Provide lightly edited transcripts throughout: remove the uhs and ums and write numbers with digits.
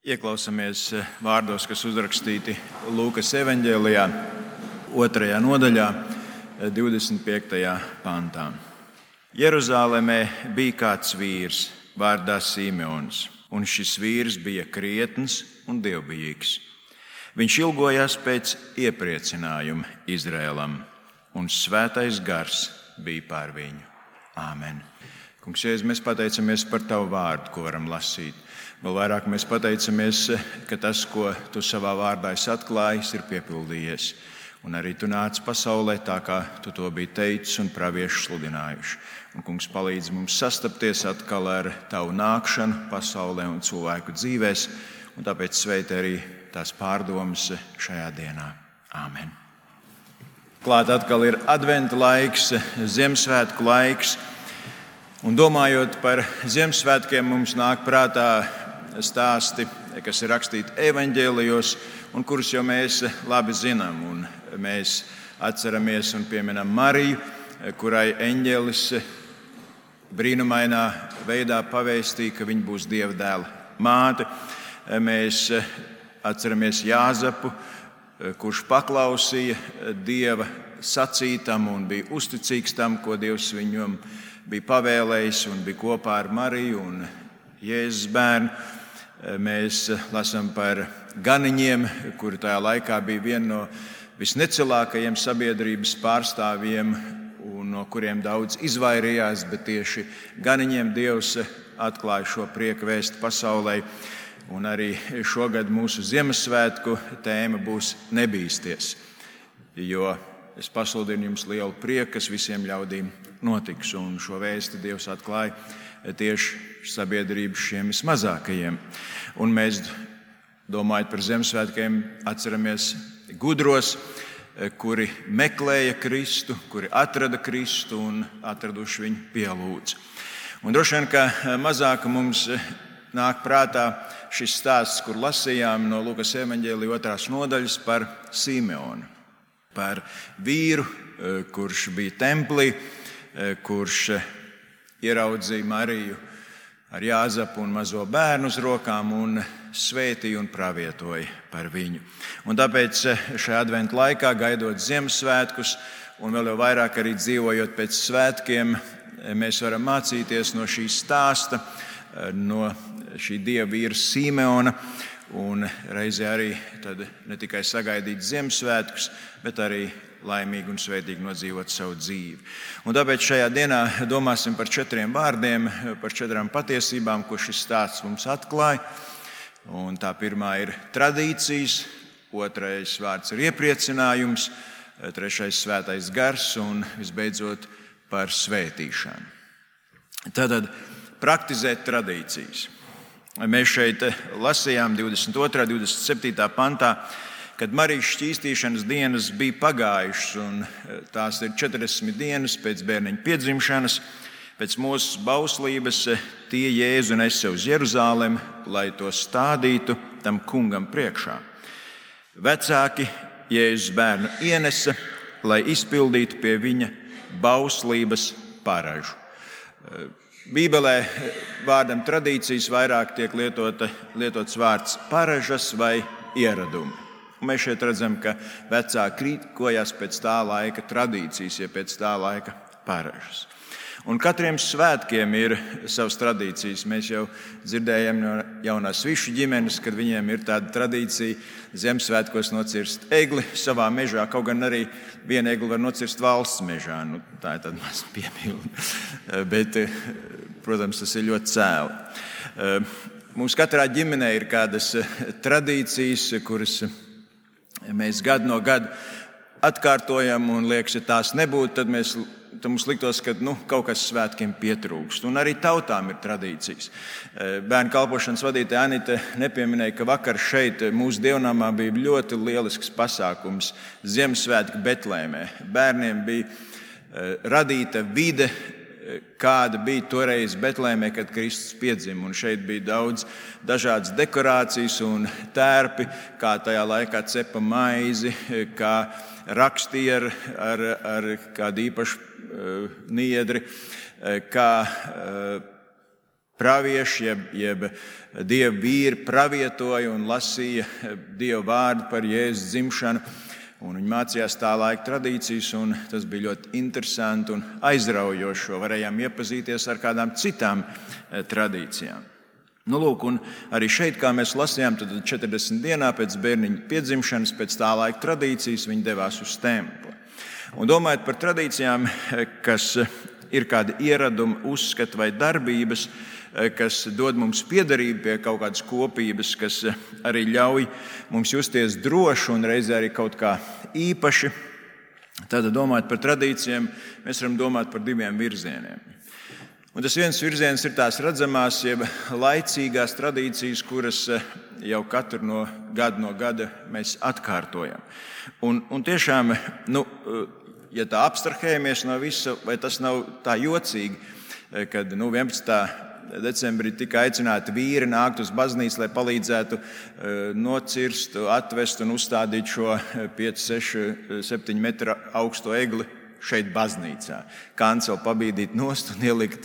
Ieklausāmies vārdos, kas uzrakstīti Lūkas evaņģēlijā, 2. nodaļā, 25. pantā. Jeruzālēmē bija kāds vīrs vārdā Simeons, un šis vīrs bija krietns un dievbijīgs. Viņš ilgojās pēc iepriecinājuma Izrēlam, un svētais gars bija pār viņu. Āmen. Kungs, Jēzus, mēs pateicamies par Tavu vārdu, ko varam lasīt. Vēl vairāk mēs pateicamies, ka tas, ko Tu savā vārdā esi atklājis, ir piepildījies. Un arī Tu nāc pasaulē tā, kā Tu to biji teicis un pravieši sludinājuši. Un, Kungs, palīdz mums sastapties atkal ar Tavu nākšanu pasaulē un cilvēku dzīvēs, un tāpēc sveiti arī tās pārdomas šajā dienā. Āmen. Klāt atkal ir adventa laiks, Ziemassvētku laiks. Un domājot par Ziemassvētkiem, mums nāk prātā stāsti, kas ir rakstīti evaņģēlijos, un kurus jau mēs labi zinām. Un mēs atceramies un pieminam Mariju, kurai eņģelis brīnumainā veidā pavēstīja, ka viņa būs Dieva dēla māte. Mēs atceramies Jāzepu, kurš paklausīja Dieva sacītam un bija uzticīgs tam, ko Dievs viņam bija pavēlējis, un bija kopā ar Mariju un Jēzus bērnu. Mēs lasām par ganiņiem, kuri tajā laikā bija viena no visnecilākajiem sabiedrības pārstāvjiem, un no kuriem daudz izvairījās, bet tieši ganiņiem Dievs atklāja šo prieka vēstu pasaulē. Un arī šogad mūsu Ziemassvētku tēma būs nebīsties, jo es pasludinu jums lielu prieku, kas visiem ļaudīm notiks. Un šo vēsti Dievs atklāja tieši sabiedrības šiem vismazākajiem. Un mēs, domājot par Ziemassvētkiem, atceramies gudros, kuri meklēja Kristu, kuri atrada Kristu un atraduši viņu pielūdz. Un droši vien, ka mazāk mums nāk prātā šis stāsts, kur lasījām no Lūkas evaņģēlija 2. nodaļas par Simeonu, par vīru, kurš bija templī, kurš ieraudzīja Mariju ar Jāzepu un mazo bērnu uz rokām un svētīja un pravietoja par viņu. Un tāpēc šajā adventu laikā, gaidot Ziemassvētkus un vēl jau vairāk arī dzīvojot pēc svētkiem, mēs varam mācīties no šī stāsta, no šī dieva vīra Simeona, un reizē arī tad ne tikai sagaidīt Ziemassvētkus, bet arī laimīgi un svētīgi nodzīvot savu dzīvi. Un tāpēc šajā dienā domāsim par 4 vārdiem, par 4 patiesībām, ko šis stāsts mums atklāja. Un tā pirmā ir tradīcijas, 2. vārds ir iepriecinājums, 3. svētais gars un visbeidzot par svētīšanu. Tātad praktizēt tradīcijas. Mēs šeit lasījām 22. 27. pantā, kad Marijas šķīstīšanas dienas bija pagājušas, un tās ir 40 dienas pēc bērniņa piedzimšanas, pēc mūsu bauslības tie Jēzu nesa uz Jeruzālemi, lai to stādītu tam kungam priekšā. Vecāki Jēzus bērnu ienesa, lai izpildītu pie viņa bauslības paražu. Bībelē vārdam tradīcijas vairāk tiek lietots vārds paražas vai ieradumi. Un mēs šeit redzam, ka vecāki rīkojās pēc tā laika tradīcijas, ja pēc tā laika paražas. Un katriem svētkiem ir savas tradīcijas. Mēs jau dzirdējām no jaunās višu ģimenes, kad viņiem ir tāda tradīcija Ziemassvētkos nocirst egli savā mežā, kaut gan arī vienu egli var nocirst valsts mežā. Tā ir tāda maza piebilde. Bet, protams, tas ir ļoti cēli. Mums katrā ģimenē ir kādas tradīcijas, kuras mēs gadu no gada atkārtojam, un liekas, ja tās nebūtu, tad mums liktos, ka kaut kas svētkiem pietrūkst. Un arī tautām ir tradīcijas. Bērnu kalpošanas vadītāja Anita nepieminēja, ka vakar šeit mūsu dievnamā bija ļoti lielisks pasākums Ziemassvētki Betlēmē. Bērniem bija radīta vide, kāda bija toreiz Betlēmē, kad Kristus piedzima. Un šeit bija daudz dažādas dekorācijas un tērpi, kā tajā laikā cepa maizi, kā rakstīja ar kādu īpašu niedri, kā pravieši, jeb Dieva vīri pravietoja un lasīja Dieva vārdu par Jēzus dzimšanu. Un viņi mācījās tā laika tradīcijas, un tas bija ļoti interesanti un aizraujoši. Varējām iepazīties ar kādām citām tradīcijām. Nu, lūk, un arī šeit, kā mēs lasījām, tad 40 dienā pēc bērniņa piedzimšanas, pēc tā laika tradīcijas, viņi devās uz templi. Un domājot par tradīcijām, kas ir kādi ieradumi, uzskati vai darbības, kas dod mums piederību pie kaut kādas kopības, kas arī ļauj mums justies droši un reizē arī kaut kā īpaši. Tad, domājot par tradīcijām, mēs varam domāt par diviem virzieniem. Un tas viens virziens ir tās redzamās, jeb laicīgās tradīcijas, kuras jau katru no gada mēs atkārtojam. Un tiešām, ja tā abstrahējamies no visa, vai tas nav tā jocīgi, kad 11. decembrī tika aicināti vīri nākt uz baznīcu, lai palīdzētu nocirst, atvest un uzstādīt šo 5, 6, 7 metru augsto egli šeit baznīcā. Kanceli pabīdīt nost un ielikt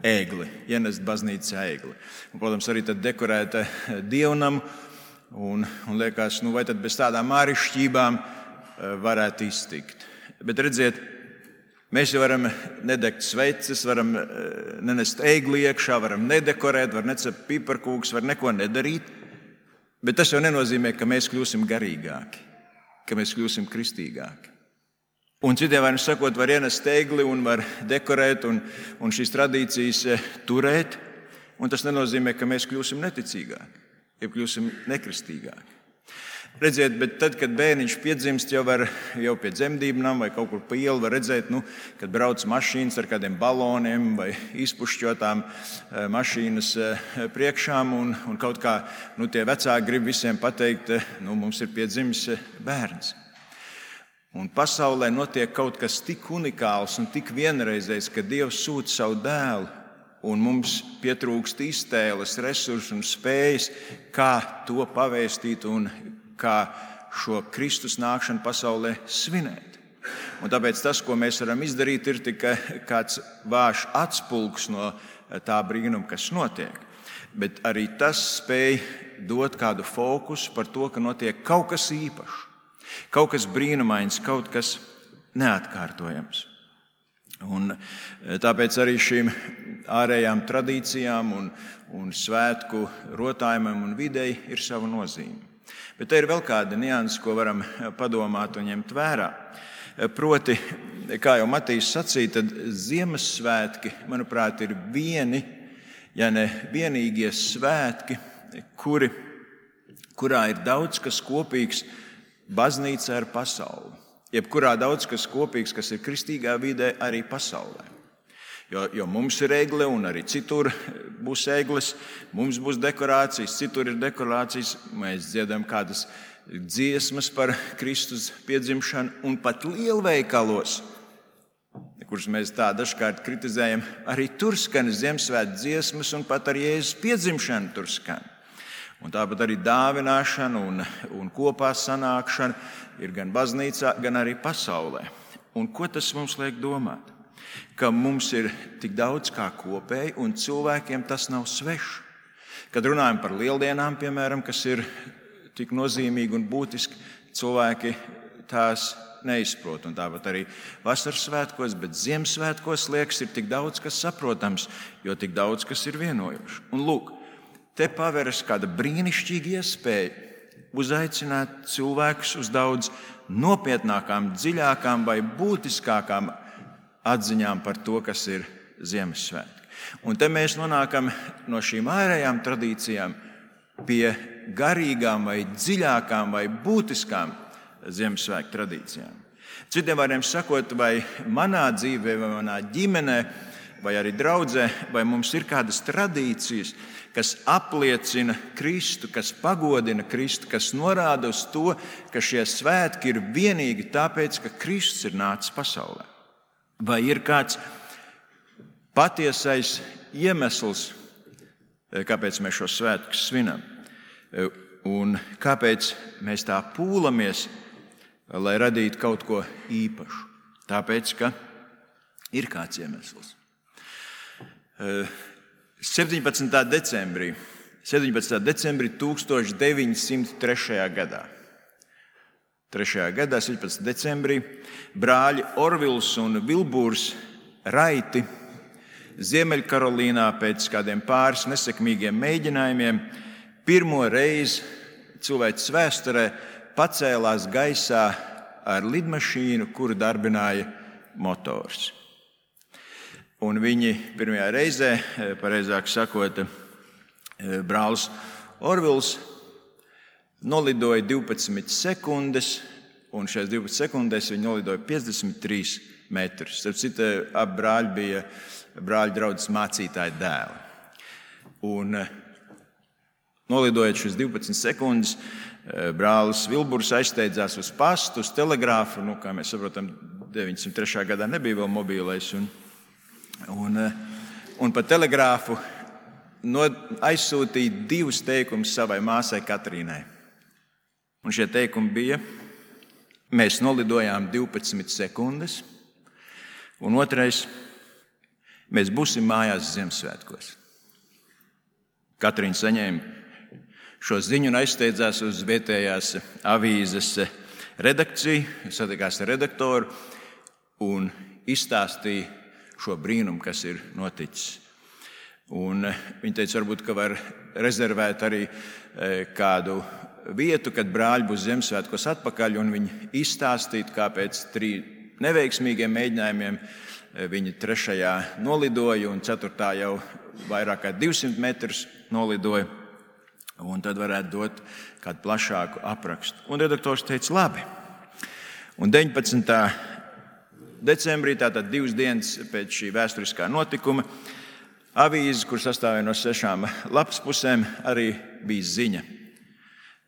egli, ienest baznīcā egli. Un, protams, arī tad dekorēta dievnamu un liekas, vai tad bez tādām āršķībām varētu iztikt. Bet redziet, mēs jau varam nedegt sveces, varam nenest egli iekšā, varam nedekorēt, var necept piparkūkus, var neko nedarīt. Bet tas jau nenozīmē, ka mēs kļūsim garīgāki, ka mēs kļūsim kristīgāki. Un citiem vārdā sakot, var ienest egli un var dekorēt un šīs tradīcijas turēt. Un tas nenozīmē, ka mēs kļūsim neticīgāki, ja kļūsim nekristīgāki. Redziet, bet tad, kad bērniņš piedzimst, jau pie dzemdībām vai kaut kur pa ielu var redzēt, kad brauc mašīnas ar kādiem baloniem vai izpušķotām mašīnas priekšām. Un kaut kā tie vecāki grib visiem pateikt, mums ir piedzimis bērns. Un pasaulē notiek kaut kas tik unikāls un tik vienreizējs, ka Dievs sūta savu dēlu, un mums pietrūkst iztēles, resursu un spējas, kā to pavēstīt un kā šo Kristus nākšanu pasaulē svinēt. Un tāpēc tas, ko mēs varam izdarīt, ir tikai kāds vājš atspulgs no tā brīnuma, kas notiek. Bet arī tas spēj dot kādu fokusu par to, ka notiek kaut kas īpašs. Kaut kas brīnumains, kaut kas neatkārtojams. Un tāpēc arī šīm ārējām tradīcijām un svētku rotājumam un videi ir sava nozīme. Bet te ir vēl kāda nianse, ko varam padomāt un ņemt vērā. Proti, kā jau Matīs sacīja, tad Ziemassvētki, manuprāt, ir vieni, ja ne vienīgie svētki, kurā ir daudz kas kopīgs baznīca ar pasauli, jebkurā daudz kas kopīgs, kas ir kristīgā vidē, arī pasaulē. Jo mums ir egle un arī citur būs egles, mums būs dekorācijas, citur ir dekorācijas, mēs dziedam kādas dziesmas par Kristus piedzimšanu un pat lielveikalos, kurus mēs tā dažkārt kritizējam, arī tur skan Ziemassvētku dziesmas un pat ar Jēzus piedzimšanu tur skan. Un tāpat arī dāvināšana un kopā sanākšana ir gan baznīcā, gan arī pasaulē. Un ko tas mums liek domāt? Ka mums ir tik daudz kā kopēji, un cilvēkiem tas nav svešs. Kad runājam par lieldienām, piemēram, kas ir tik nozīmīgi un būtiski, cilvēki tās neizprot. Un tāpat arī vasaras svētkos, bet Ziemassvētkos liekas, ir tik daudz kas saprotams, jo tik daudz kas ir vienojošs. Un lūk, te paveras kāda brīnišķīga iespēja uzaicināt cilvēkus uz daudz nopietnākām, dziļākām vai būtiskākām atziņām par to, kas ir Ziemassvētki. Un te mēs nonākam no šīm ārējām tradīcijām pie garīgām vai dziļākām vai būtiskām Ziemassvētku tradīcijām. Citiem vārdiem sakot, vai manā dzīvē, vai manā ģimenē, vai arī draudzē, vai mums ir kādas tradīcijas, kas apliecina Kristu, kas pagodina Kristu, kas norāda uz to, ka šie svētki ir vienīgi tāpēc, ka Kristus ir nācis pasaulē. Vai ir kāds patiesais iemesls, kāpēc mēs šos svētkus svinam? Un kāpēc mēs tā pūlamies, lai radītu kaut ko īpašu? Tāpēc, ka ir kāds iemesls. 17. decembrī 1903. gadā. 17. decembrī brāļi Orvils un Vilbūrs Raiti Ziemeļkarolīnā pēc kādiem pāris nesekmīgiem mēģinājumiem pirmo reizi cilvēces vēsturē pacēlās gaisā ar lidmašīnu, kuru darbināja motors. Un viņi pirmajā reizē, pareizāk sakot, brālis Orvils nolidoja 12 sekundes, un šajās 12 sekundēs viņi nolidoja 53 metrus. Starp citu, abi brāļi bija brāļu draudzes mācītāja dēli. Un nolidojot šīs 12 sekundes, brālis Vilburs aizsteidzās uz pastu, uz telegrāfu. Kā mēs saprotam, 903. gadā nebija vēl mobīlais. Un pa telegrāfu aizsūtīja 2 teikumus savai māsai Katrīnai. Un šie teikumi bija: mēs nolidojām 12 sekundes, un otrais: mēs būsim mājās Ziemassvētkos. Katrīna saņēma šo ziņu un aizsteidzās uz vietējās avīzes redakciju, satikās ar redaktoru un izstāstīja šo brīnumu, kas ir noticis. Un viņa teica, varbūt, ka var rezervēt arī kādu vietu, kad brāļi būs Ziemassvētkos atpakaļ, un viņi izstāstītu, kā pēc 3 neveiksmīgiem mēģinājumiem viņi 3. nolidoja, un 4. jau vairāk kā 200 metrus nolidoja, un tad varētu dot kādu plašāku aprakstu. Un redaktors teica, labi. Un 19. decembrī, tātad 2 dienas pēc šī vēsturiskā notikuma, avīze, kur sastāvēja no 6 lapspusēm, arī bija ziņa.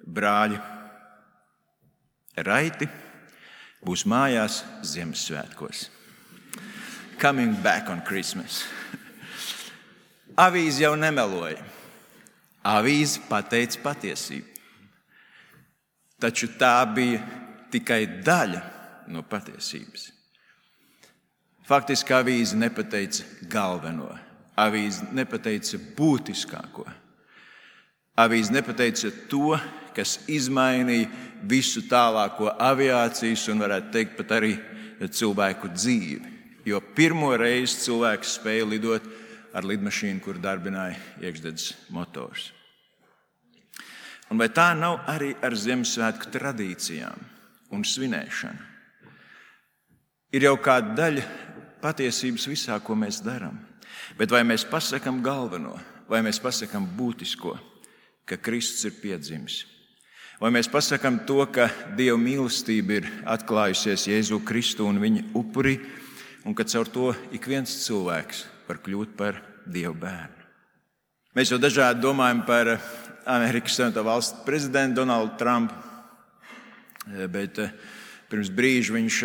Brāļi Raiti būs mājās Ziemassvētkos. Coming back on Christmas. Avīze jau nemeloja. Avīze pateica patiesību. Taču tā bija tikai daļa no patiesības. Faktiski avīze nepateica galveno. Avīze nepateica būtiskāko. Avīze nepateica to, kas izmainīja visu tālāko aviācijas un, varētu teikt, pat arī cilvēku dzīvi. Jo pirmo reizi cilvēks spēja lidot ar lidmašīnu, kur darbināja iekšdedzes motors. Un vai tā nav arī ar Ziemassvētku tradīcijām un svinēšanu? Ir jau kāda daļa patiesības visā, ko mēs darām. Bet vai mēs pasakām galveno, vai mēs pasakām būtisko, ka Kristus ir piedzimis? Vai mēs pasakām to, ka Dieva mīlestība ir atklājusies Jēzu Kristu un viņa upurī, un ka caur to ik viens cilvēks var kļūt par Dieva bērnu? Mēs jau dažādi domājam par Amerikas Savienoto Valstu prezidentu Donaldu Trumpu, bet pirms brīža viņš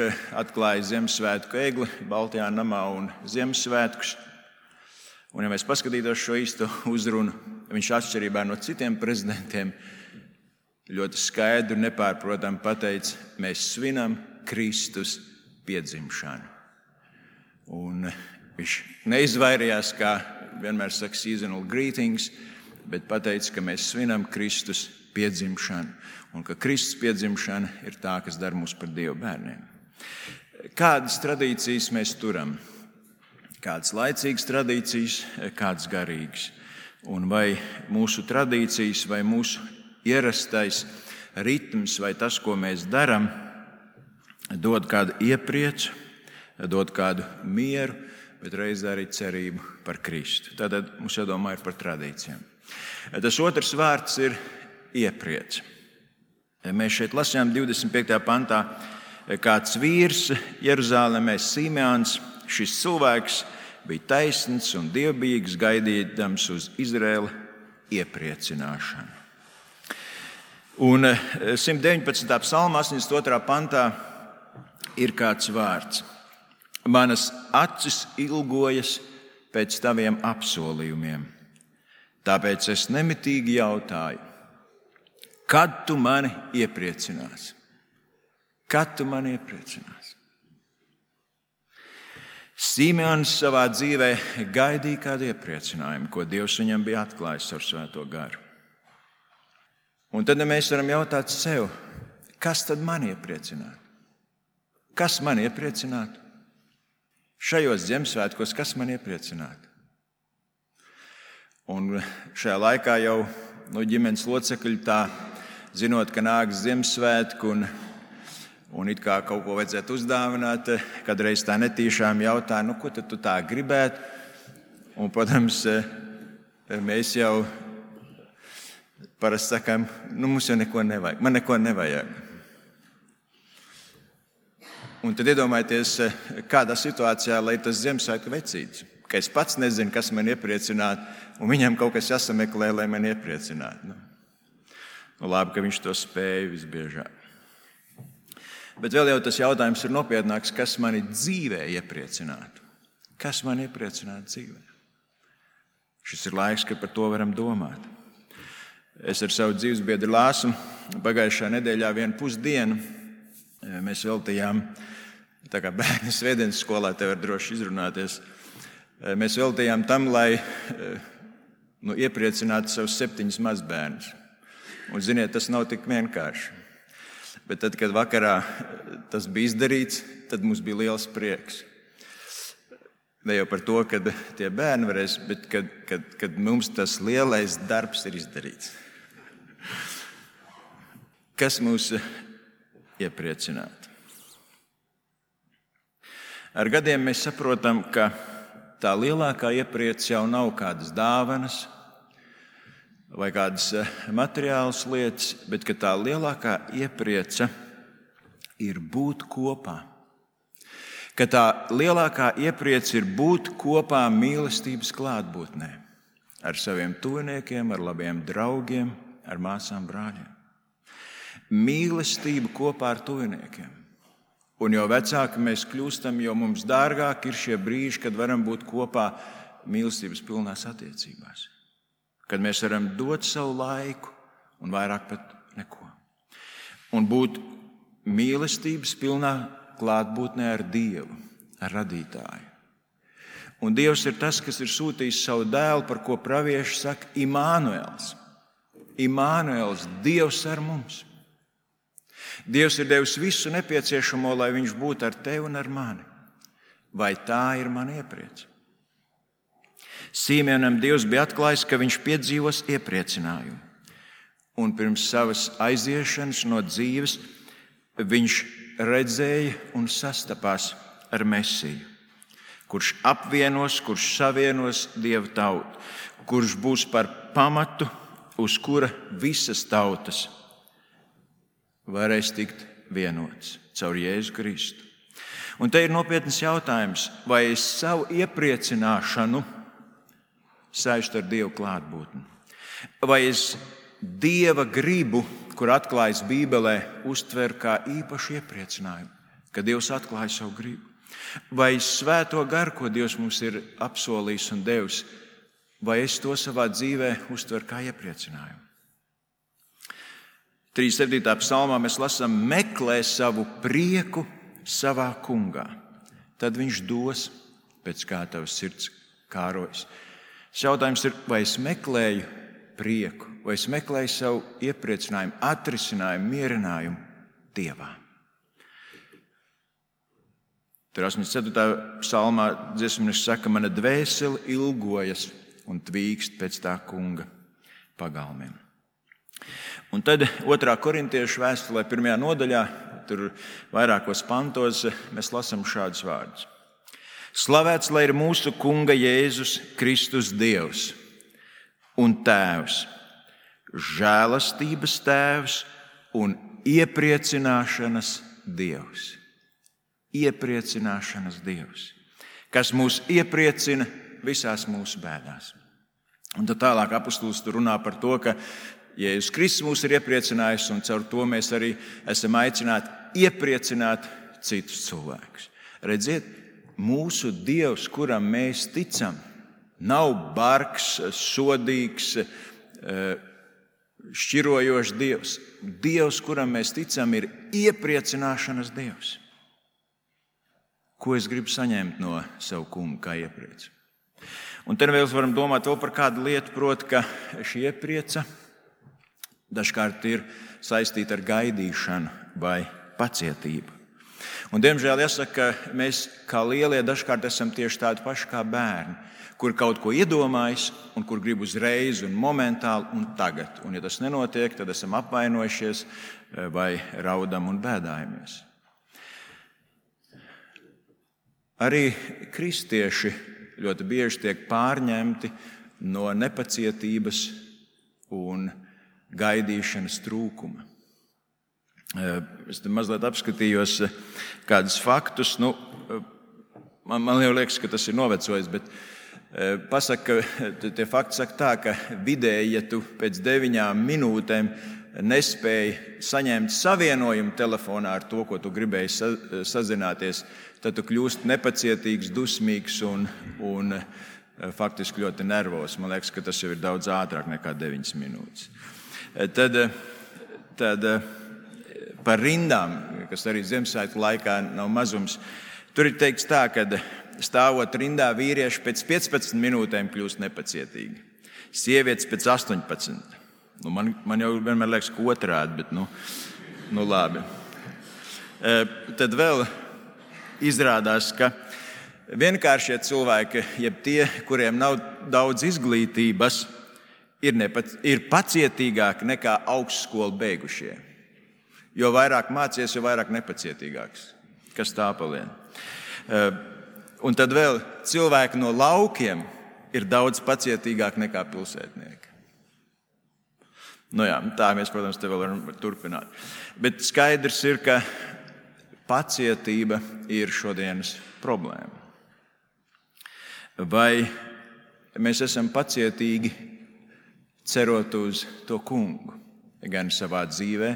atklāja Ziemassvētku egli Baltajā namā un Ziemassvētkus. Un, ja mēs paskatītos šo īsto uzrunu, viņš atšķirībā no citiem prezidentiem ļoti skaidri un nepārprotami pateica, mēs svinam Kristus piedzimšanu. Un viņš neizvairījās, kā vienmēr saka, seasonal greetings, bet pateica, ka mēs svinam Kristus piedzimšanu un ka Kristus piedzimšana ir tā, kas dara mūs par Dieva bērniem. Kādas tradīcijas mēs turam? Kādas laicīgas tradīcijas, kādas garīgas? Un vai mūsu tradīcijas, vai mūsu ierastais ritms, vai tas, ko mēs darām, dod kādu iepriecu, dod kādu mieru, bet reizē arī cerību par Kristu. Tātad mums jādomā ir par tradīcijām. Tas otrs vārds ir iepriec. Mēs šeit lasījām 25. pantā, kāds vīrs Jeruzālēmē Simeons, šis cilvēks bija taisns un dievbijīgs, gaidīdams uz Izraēla iepriecināšanu. Un 119. psalma 82. pantā ir kāds vārds. Manas acis ilgojas pēc taviem apsolījumiem, tāpēc es nemitīgi jautāju, kad tu mani iepriecināsi? Kad tu mani iepriecināsi? Simeons savā dzīvē gaidīja kādu iepriecinājumu, ko Dievs viņam bija atklājis ar Svēto garu. Un tad mēs varam jautāt sev, kas tad man iepriecinātu? Kas man iepriecinātu? Šajos Ziemassvētkos, kas man iepriecinātu? Un šajā laikā jau ģimenes locekļi tā, zinot, ka nāks Ziemassvētku un it kā kaut ko vajadzētu uzdāvināt, kādreiz tā netīšām jautā, ko tad tu tā gribētu? Un, protams, mēs jau parasti sakām, mums jau neko nevajag, man neko nevajag. Un tad iedomājieties, kādā situācijā, lai tas Ziemassvētku vecītis, ka es pats nezinu, kas man iepriecinātu, un viņam kaut kas jāsameklē, lai man iepriecinātu. Labi, ka viņš to spēja visbiežāk. Bet vēl jau tas jautājums ir nopietnāks, kas mani dzīvē iepriecinātu. Kas man iepriecinātu dzīvē? Šis ir laiks, kad par to varam domāt. Es ar savu dzīvesbiedru Lāsu pagājušā nedēļā 1,5 dienu mēs veltījām, tā kā bērni svētdienas skolā te var droši izrunāties, mēs veltījām tam, lai iepriecinātu savus 7 mazbērnus. Un, ziniet, tas nav tik vienkārši. Bet tad, kad vakarā tas bija izdarīts, tad mums bija liels prieks. Ne jau par to, ka tie bērni varēs, bet kad mums tas lielais darbs ir izdarīts. Kas mūs iepriecinātu? Ar gadiem mēs saprotam, ka tā lielākā iepriece jau nav kādas dāvanas vai kādas materiālas lietas, bet ka tā lielākā iepriece ir būt kopā. Ka tā lielākā iepriece ir būt kopā mīlestības klātbūtnē ar saviem tuviniekiem, ar labiem draugiem, ar māsām, brāļiem. Mīlestība kopā ar tuviniekiem. Un jo vecāki mēs kļūstam, jo mums dārgāk ir šie brīži, kad varam būt kopā mīlestības pilnās attiecībās. Kad mēs varam dot savu laiku un vairāk pat neko. Un būt mīlestības pilnā klātbūtnē ar Dievu, ar radītāju. Un Dievs ir tas, kas ir sūtījis savu dēlu, par ko pravieši saka Imānuels. Imānuels, Dievs ar mums. Dievs ir devis visu nepieciešamo, lai viņš būtu ar tevi un ar mani. Vai tā ir mana iepriece? Simeonam Dievs bija atklājis, ka viņš piedzīvos iepriecinājumu. Un pirms savas aiziešanas no dzīves viņš redzēja un sastapās ar Mesiju, kurš apvienos, kurš savienos Dieva tautu, kurš būs par pamatu, uz kura visas tautas varēs tikt vienots caur Jēzu Kristu. Un te ir nopietns jautājums, vai es savu iepriecināšanu saistu ar Dievu klātbūtni? Vai es Dieva gribu, kur atklājas Bībelē, uztver kā īpašu iepriecinājumu, ka Dievs atklāja savu gribu? Vai Svēto garu, ko Dievs mums ir apsolījis un devis, vai es to savā dzīvē uztveru kā iepriecinājumu? 37. psalmā mēs lasām: meklē savu prieku savā kungā, tad viņš dos pēc kā tavas sirds kārojas. Jautājums ir, vai es meklēju prieku, vai es meklēju savu iepriecinājumu, atrisinājumu, mierinājumu Dievā. Tur 84. psalmā dziesmnieks saka: mana dvēsele ilgojas un tvīkst pēc tā kunga pagalmiem. Un tad 2. korintiešu vēstulē 1. nodaļā, tur vairākos pantos, mēs lasām šādus vārdus. Slavēts lai ir mūsu kunga Jēzus Kristus Dievs un Tēvs, žēlastības Tēvs un iepriecināšanas Dievs. Iepriecināšanas Dievs, kas mūs iepriecina visās mūsu bēdās. Un tad tālāk apustulis tur runā par to, ka Jēzus Kristus mūs ir iepriecinājis, un caur to mēs arī esam aicināti iepriecināt citus cilvēkus. Redziet, mūsu Dievs, kuram mēs ticam, nav bargs, sodīgs, šķirojošs Dievs. Dievs, kuram mēs ticam, ir iepriecināšanas Dievs. Ko es gribu saņemt no savu kungu kā iepriecu? Un te vēl varam domāt vēl par kādu lietu, proti, ka šī ieprieca dažkārt ir saistīta ar gaidīšanu vai pacietību. Un, diemžēl, jāsaka, ka mēs kā lielie dažkārt esam tieši tādi paši kā bērni, kur kaut ko iedomājas un kur grib uzreiz un momentāli un tagad. Un, ja tas nenotiek, tad esam apvainojušies vai raudam un bēdājamies. Arī kristieši ļoti bieži tiek pārņemti no nepacietības un gaidīšanas trūkuma. Es te mazliet apskatījos kādus faktus. Man jau liekas, ka tas ir novecojis, bet pasaka, tie fakti saka tā, ka vidēji, ja tu pēc 9 minūtēm nespēji saņemt savienojumu telefonā ar to, ko tu gribēji sazināties, tad tu kļūsti nepacietīgs, dusmīgs un faktiski ļoti nervos. Man liekas, ka tas jau ir daudz ātrāk nekā 9 minūtes. Tad par rindām, kas arī Ziemassvētku laikā nav mazums, tur ir teikts tā, ka stāvot rindā vīrieši pēc 15 minūtēm kļūst nepacietīgi. Sievietes pēc 18. Man jau vienmēr liekas, ka otrādi, bet labi. Tad vēl izrādās, ka vienkāršie cilvēki, jeb tie, kuriem nav daudz izglītības, ir pacietīgāki nekā augstskolu beigušie. Jo vairāk mācies, jo vairāk nepacietīgāks. Kas tā palien? Un tad vēl cilvēki no laukiem ir daudz pacietīgāki nekā pilsētnieki. Tā mēs, protams, te vēl varam turpināt. Bet skaidrs ir, ka pacietība ir šodienas problēma. Vai mēs esam pacietīgi cerot uz to kungu, gan savā dzīvē,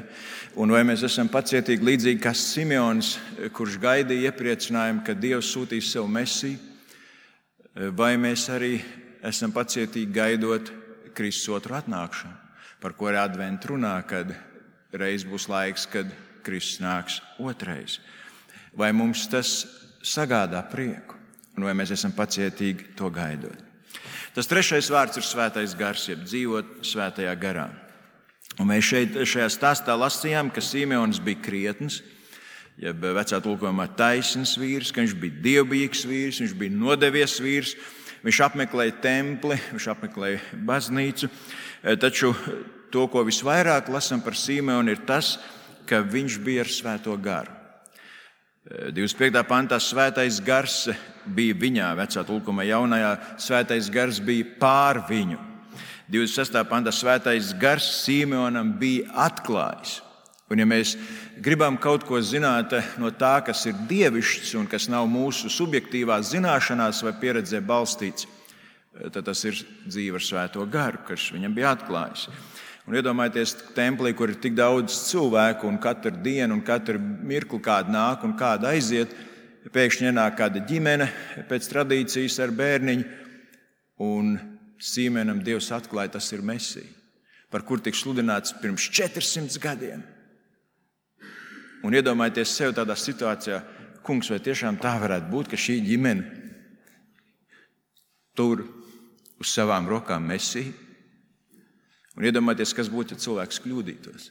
un vai mēs esam pacietīgi līdzīgi kā Simeons, kurš gaidīja iepriecinājumu, ka Dievs sūtīs savu Mesiju, vai mēs arī esam pacietīgi gaidot Kristus otru atnākšanu, par ko ir adventa runā, kad reiz būs laiks, kad Kristus nāks otrais. Vai mums tas sagādā prieku, un vai mēs esam pacietīgi to gaidot? Tas trešais vārds ir svētais gars, jeb dzīvot svētajā garā. Un mēs šajā stāstā lasījām, ka Simeons bija krietns, jeb vecā tulkojumā taisns vīrs, ka viņš bija dievbijīgs vīrs, viņš bija nodevies vīrs, viņš apmeklēja templi, viņš apmeklēja baznīcu. Taču to, ko visvairāk lasām par Simeonu, ir tas, ka viņš bija ar svēto garu. 25. pantā svētais gars bija viņā, vecā tulkojumā jaunajā, svētais gars bija pār viņu. 26. pantā svētais gars Simeonam bija atklājis. Un ja mēs gribam kaut ko zināt no tā, kas ir dievišķs un kas nav mūsu subjektīvās zināšanās vai pieredzē balstīts, tad tas ir dzīve ar svēto garu, kas viņam bija atklājis. Un iedomājieties templī, kur ir tik daudz cilvēku un katru dienu un katru mirkli kāda nāk un kāda aiziet, pēkšņi ienāk kāda ģimene pēc tradīcijas ar bērniņu, un Simeonam Dievs atklāja, tas ir Mesija, par kur tika sludināts pirms 400 gadiem. Un iedomājieties sev tādā situācijā, kungs, vai tiešām tā varētu būt, ka šī ģimene tur uz savām rokām Mesiju? Un iedomājieties, kas būtu, ja cilvēks kļūdītos.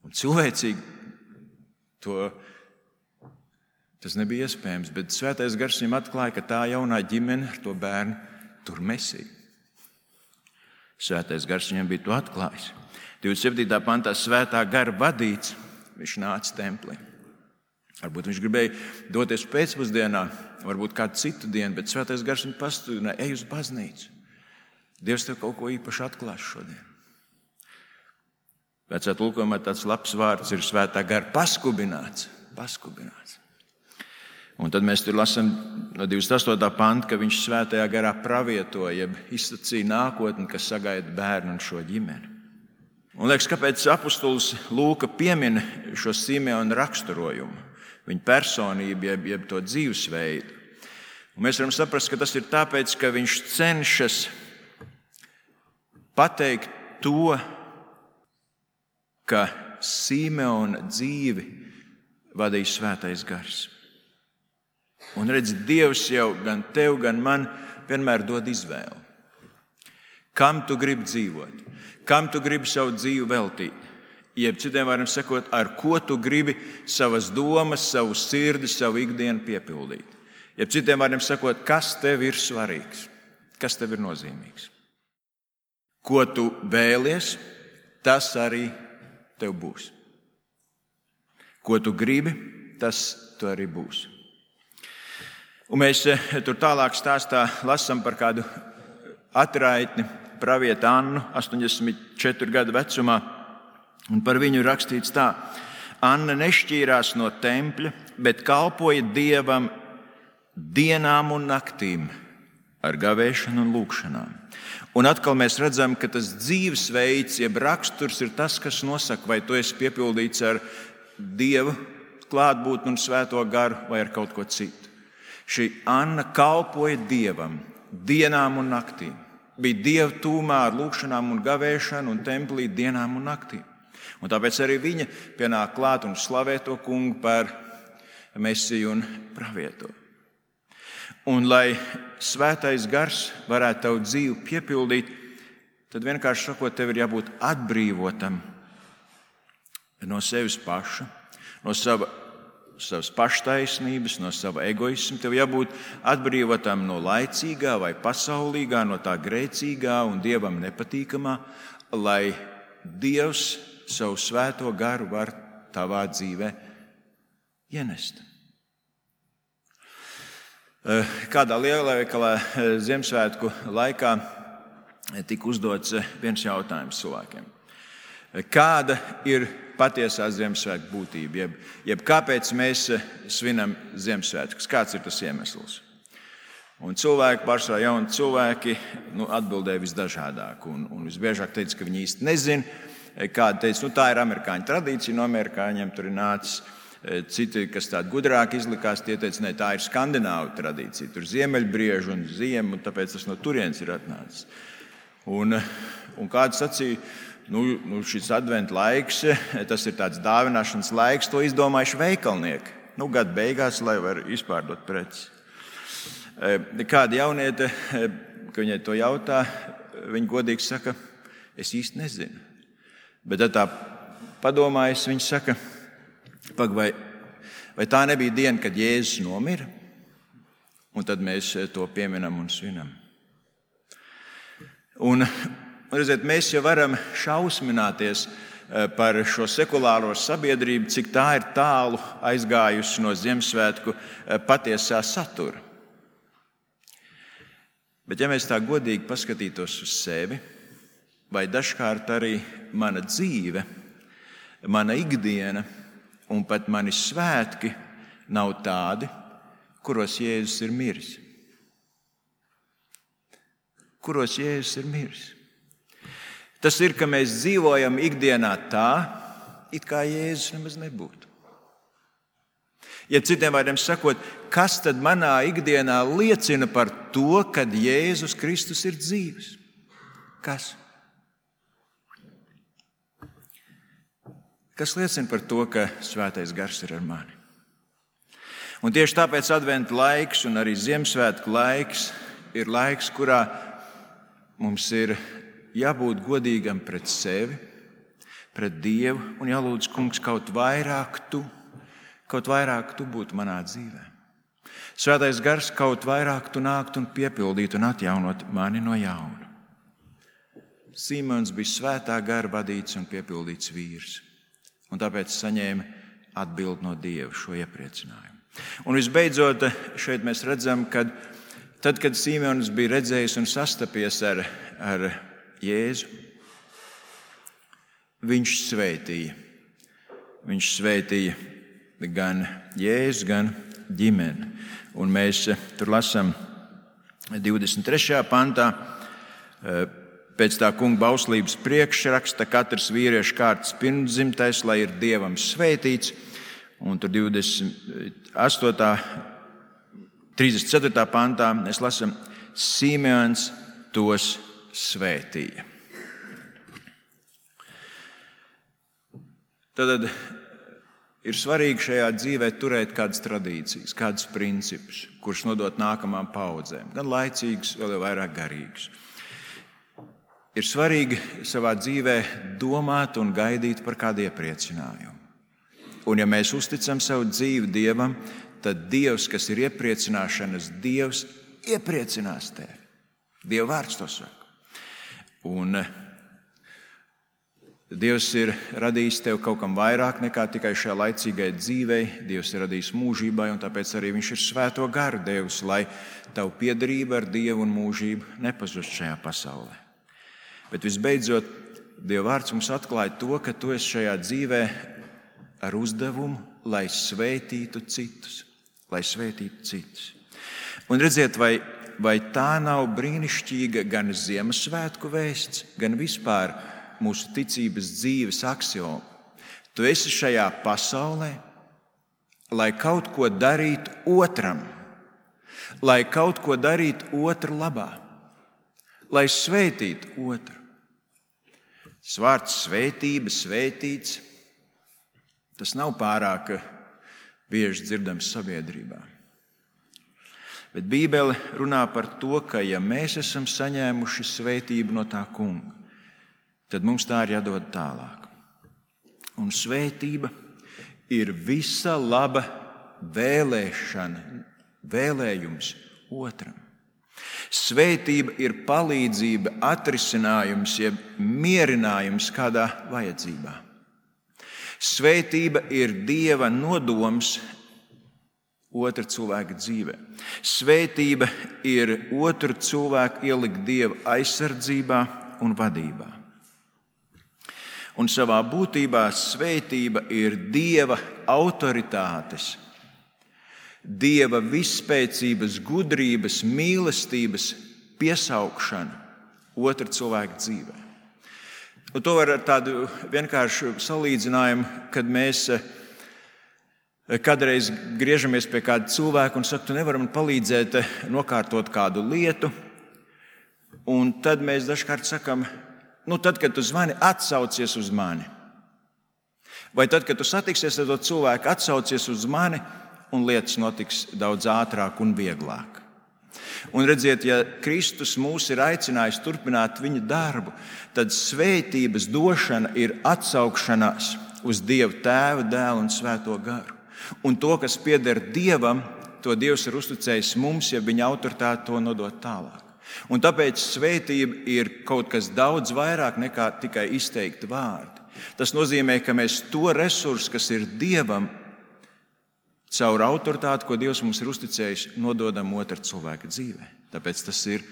Un cilvēcīgi tas nebija iespējams, bet svētais gars viņam atklāja, ka tā jaunā ģimene ar to bērnu tur Mesiju. Svētais gars viņam bija to atklājis. 27. pantā svētā gara vadīts, viņš nāca templī. Varbūt viņš gribēja doties pēcpusdienā, varbūt kādu citu dienu, bet svētais gars viņu pastudināja, ej uz baznīcu. Dievs tev kaut ko īpaši atklās šodien. Vecā tulkojumā tāds labs vārds ir svētā gara paskubināts. Un tad mēs tur lasām no 28. panta, ka viņš svētajā garā pravietoja, jeb izsacīja nākotni, kas sagaida bērnu un šo ģimeni. Un liekas, kāpēc apustulis Lūka piemin šo Simeona raksturojumu, viņa personību, jeb to dzīvesveidu. Un mēs varam saprast, ka tas ir tāpēc, ka viņš cenšas pateikt to, ka Simeona dzīvi vadīja svētais gars. Un redz, Dievs jau gan tev, gan man vienmēr dod izvēli. Kam tu gribi dzīvot? Kam tu gribi savu dzīvi veltīt? Jeb citiem vārdiem sakot, ar ko tu gribi savas domas, savu sirdi, savu ikdienu piepildīt? Jeb citiem vārdiem sakot, kas tev ir svarīgs? Kas tev ir nozīmīgs? Ko tu vēlies, tas arī tev būs. Ko tu gribi, tas tu arī būs. Un mēs tur tālāk stāstā lasām par kādu atraitni, pravieti Annu, 84 gadu vecumā. Un par viņu rakstīts tā: Anna nešķīrās no tempļa, bet kalpoja Dievam dienām un naktīm ar gavēšanu un lūgšanām. Un atkal mēs redzam, ka tas dzīvesveids, jeb raksturs ir tas, kas nosaka, vai tu esi piepildīts ar Dieva klātbūtni un svēto garu vai ar kaut ko citu. Šī Anna kalpoja Dievam dienām un naktīm. Bija Dieva tūmā ar lūgšanām un gavēšanu un templī dienām un naktīm. Un tāpēc arī viņa pienāk klāt un slavē to kungu par Mesiju un pravieto. Un lai svētais gars varētu tavu dzīvi piepildīt, tad vienkārši sakot, tev ir jābūt atbrīvotam no sevis paša, no savas paštaisnības, no sava egoisma. Tev jābūt atbrīvotam no laicīgā vai pasaulīgā, no tā grēcīgā un Dievam nepatīkamā, lai Dievs savu svēto garu var tavā dzīvē ienest. Kādā lielveikalā Ziemassvētku laikā tika uzdots viens jautājums cilvēkiem. Kāda ir patiesā Ziemassvētku būtība? Jeb kāpēc mēs svinam Ziemassvētkus? Kāds ir tas iemesls? Un cilvēki, pārsvarā jauni cilvēki, atbildēja visdažādāk. Un visbiežāk teica, ka viņi īsti nezina. Kādi teica, tā ir amerikāņu tradīcija, no amerikāņiem tur ir nācis. Citi, kas tādi gudrāki izlikās, tie teica, ne, tā ir skandināvu tradīcija. Tur ziemeļbrieži un ziema, un tāpēc tas no turienes ir atnācis. Un kāds sacīja, šis adventa laiks, tas ir tāds dāvināšanas laiks, to izdomājuši veikalnieki. Gada beigās, lai var izpārdot preces. Kāda jauniete, ka viņai to jautā, viņa godīgi saka, es īsti nezinu. Bet tad tā padomājas, viņa saka, vai tā nebija diena, kad Jēzus nomira? Un tad mēs to pieminam un svinam. Un redziet, mēs jau varam šausmināties par šo sekulāro sabiedrību, cik tā ir tālu aizgājusi no Ziemassvētku patiesā satura. Bet ja mēs tā godīgi paskatītos uz sevi, vai dažkārt arī mana dzīve, mana ikdiena un pat mani svētki nav tādi, kuros Jēzus ir miris. Kuros Jēzus ir miris. Tas ir, ka mēs dzīvojam ikdienā tā, it kā Jēzus nemaz nebūtu. Ja citiem vārdiem sakot, kas tad manā ikdienā liecina par to, kad Jēzus Kristus ir dzīves? Kas? Kas liecina par to, ka svētais gars ir ar mani? Un tieši tāpēc adventa laiks un arī Ziemassvētku laiks ir laiks, kurā mums ir jābūt godīgam pret sevi, pret Dievu un jālūdz, kungs, kaut vairāk tu būtu manā dzīvē. Svētais gars kaut vairāk tu nākt un piepildīt un atjaunot mani no jauna. Simons bija svētā gara vadīts un piepildīts vīrs. Un tāpēc saņēma atbildi no Dieva šo iepriecinājumu. Un visbeidzot, šeit mēs redzam, ka tad, kad Simons bija redzējis un sastapies ar Jēzu, viņš svētīja. Viņš svētīja gan Jēzu, gan ģimeni. Un mēs tur lasām 23. pantā, pēc tā kunga bauslības priekšraksta, katrs vīriešu kārtas pirmdzimtais, lai ir Dievam svētīts. Un tur 34. pantā mēs lasām, Simeons tos svētīja. Tad ir svarīgi šajā dzīvē turēt kādas tradīcijas, kādus principus, kurus nodot nākamām paudzēm, gan laicīgus, vēl jau vairāk garīgus. Ir svarīgi savā dzīvē domāt un gaidīt par kādu iepriecinājumu. Un ja mēs uzticam savu dzīvi Dievam, tad Dievs, kas ir iepriecināšanas Dievs, iepriecinās tevi. Dieva vārds to saka. Un Dievs ir radījis tev kaut kam vairāk nekā tikai šajā laicīgai dzīvei. Dievs ir radījis mūžībai, un tāpēc arī viņš ir svēto garu devis, lai tavu piederība ar Dievu un mūžību nepazust šajā pasaulē. Bet visbeidzot, Dieva vārds mums atklāja to, ka tu esi šajā dzīvē ar uzdevumu, lai svētītu citus. Un redziet, vai tā nav brīnišķīga gan Ziemassvētku vēsts, gan vispār mūsu ticības dzīves aksioma. Tu esi šajā pasaulē, lai kaut ko darītu otram, lai kaut ko darītu otru labā, lai svētītu otru. Tas vārds svētība, svētīts, tas nav pārāk bieži dzirdams sabiedrībā. Bet Bībele runā par to, ka ja mēs esam saņēmuši svētību no tā kunga, tad mums tā ir jādod tālāk. Un svētība ir visa laba vēlējums otram. Svētība ir palīdzība, atrisinājums, jeb mierinājums kādā vajadzībā. Svētība ir Dieva nodoms otra cilvēka dzīvē. Svētība ir otru cilvēku ielikt Dieva aizsardzībā un vadībā. Un savā būtībā svētība ir Dieva autoritātes, Dieva visspēcības, gudrības, mīlestības piesaukšana otra cilvēka dzīvē. Un to var ar tādu vienkāršu salīdzinājumu, kad mēs kādreiz griežamies pie kāda cilvēka un saka, tu nevari man palīdzēt nokārtot kādu lietu. Un tad mēs dažkārt sakam, tad, kad tu zvani, atsaucies uz mani. Vai tad, kad tu satiksies ar to cilvēku, atsaucies uz mani, un lietas notiks daudz ātrāk un vieglāk. Un redziet, ja Kristus mūs ir aicinājis turpināt viņa darbu, tad svētības došana ir atsaukšanās uz Dievu Tēvu, Dēlu un Svēto garu. Un to, kas pieder Dievam, to Dievs ir uzticējis mums, ja viņa autoritāte to nodot tālāk. Un tāpēc svētība ir kaut kas daudz vairāk nekā tikai izteikti vārdi. Tas nozīmē, ka mēs to resursu, kas ir Dievam, caur autoritāti, ko Dievs mums ir uzticējis, nododam otra cilvēka dzīvē. Tāpēc tas ir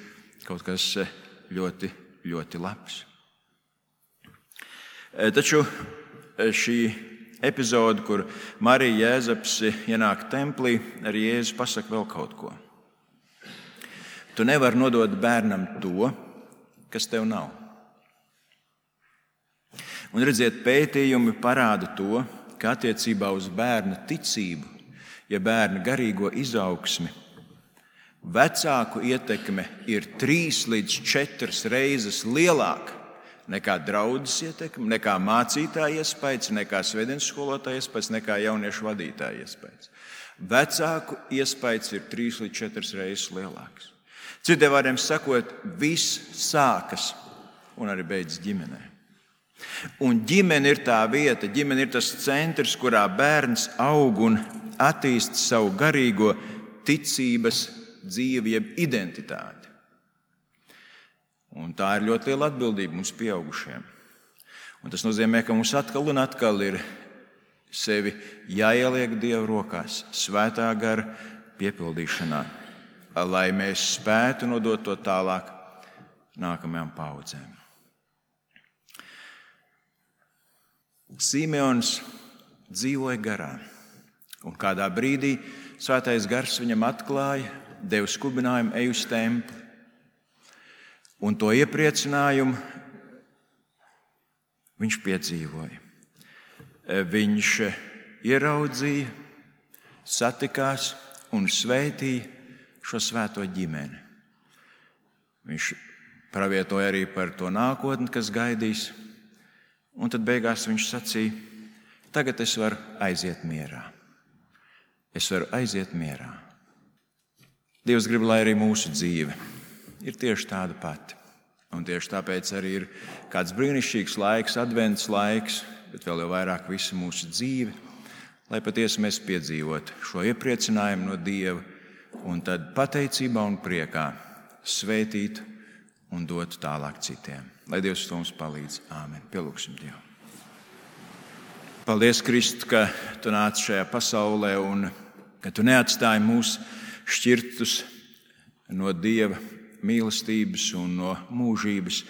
kaut kas ļoti, ļoti labs. Taču šī epizode, kur Marija Jēzaps ienāk templī, arī Jēzus pasaka vēl kaut ko. Tu nevari nodot bērnam to, kas tev nav. Un redziet, pētījumi parāda to, ka attiecībā uz bērna ticību, ja bērna garīgo izaugsmi, vecāku ietekme ir 3 līdz 4 reizes lielāka nekā draudzes ietekme, nekā mācītāja iespējas, nekā svētdienas skolotāja iespējas, nekā jauniešu vadītāja iespējas. Vecāku iespējas ir 3 līdz 4 reizes lielākas. Citiem vārdiem sakot, viss sākas un arī beidzas ģimenē. Un ģimene ir tā vieta, ģimene ir tas centrs, kurā bērns aug un attīst savu garīgo ticības dzīvi, jeb identitāti. Un tā ir ļoti liela atbildība mums pieaugušiem. Un tas nozīmē, ka mums atkal un atkal ir sevi jāieliek Dieva rokās, svētā gara piepildīšanā, lai mēs spētu nodot to tālāk nākamajām paudzēm. Simeons dzīvoja garā, un kādā brīdī svētais gars viņam atklāja, deva skubinājumu, ej uz templi. Un to iepriecinājumu viņš piedzīvoja. Viņš ieraudzīja, satikās un svētīja šo svēto ģimeni. Viņš pravietoja arī par to nākotni, kas gaidīs. Un tad beigās viņš sacīja, Tagad es varu aiziet mierā. Es varu aiziet mierā. Dievs grib, lai arī mūsu dzīve ir tieši tāda pati. Un tieši tāpēc arī ir kāds brīnišķīgs laiks, advents laiks, bet vēl jau vairāk visa mūsu dzīve, lai patiesi mēs piedzīvotu šo iepriecinājumu no Dieva un tad pateicībā un priekā svētītu un dotu tālāk citiem. Lai Dievs to mums palīdz. Āmen. Pielūgsim Dievu. Paldies, Kristu, ka Tu nāc šajā pasaulē un ka Tu neatstāji mūs šķirtus no Dieva mīlestības un no mūžības,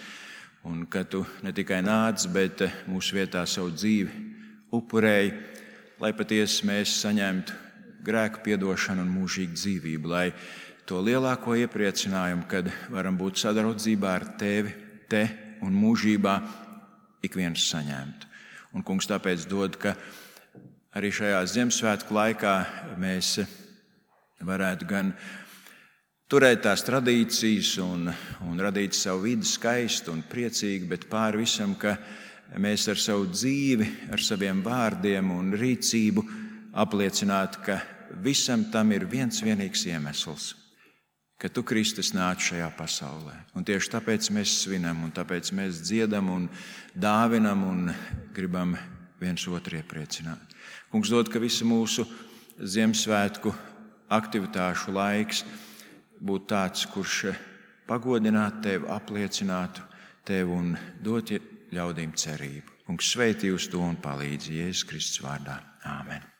un ka Tu ne tikai nāc, bet mūsu vietā savu dzīvi upurēji, lai patiesi mēs saņemtu grēku piedošanu un mūžīgu dzīvību, lai to lielāko iepriecinājumu, kad varam būt sadraudzībā ar Tevi, Te un mūžībā, ik viens saņemtu. Un, Kungs, tāpēc dod, ka arī šajā Ziemassvētku laikā mēs varētu gan turēt tās tradīcijas un radīt savu vidi skaistu un priecīgu, bet pāri visam, ka mēs ar savu dzīvi, ar saviem vārdiem un rīcību apliecinātu, ka visam tam ir viens vienīgs iemesls, ka Tu, Kristus, nāc šajā pasaulē. Un tieši tāpēc mēs svinam, un tāpēc mēs dziedam un dāvinam un gribam viens otru iepriecināt. Kungs, dod, ka visa mūsu Ziemassvētku aktivitāšu laiks būtu tāds, kurš pagodinātu Tevi, apliecinātu Tevi un dot ļaudīm cerību. Kungs, sveitī uz to un palīdzi Jēzus Kristus vārdā. Āmen.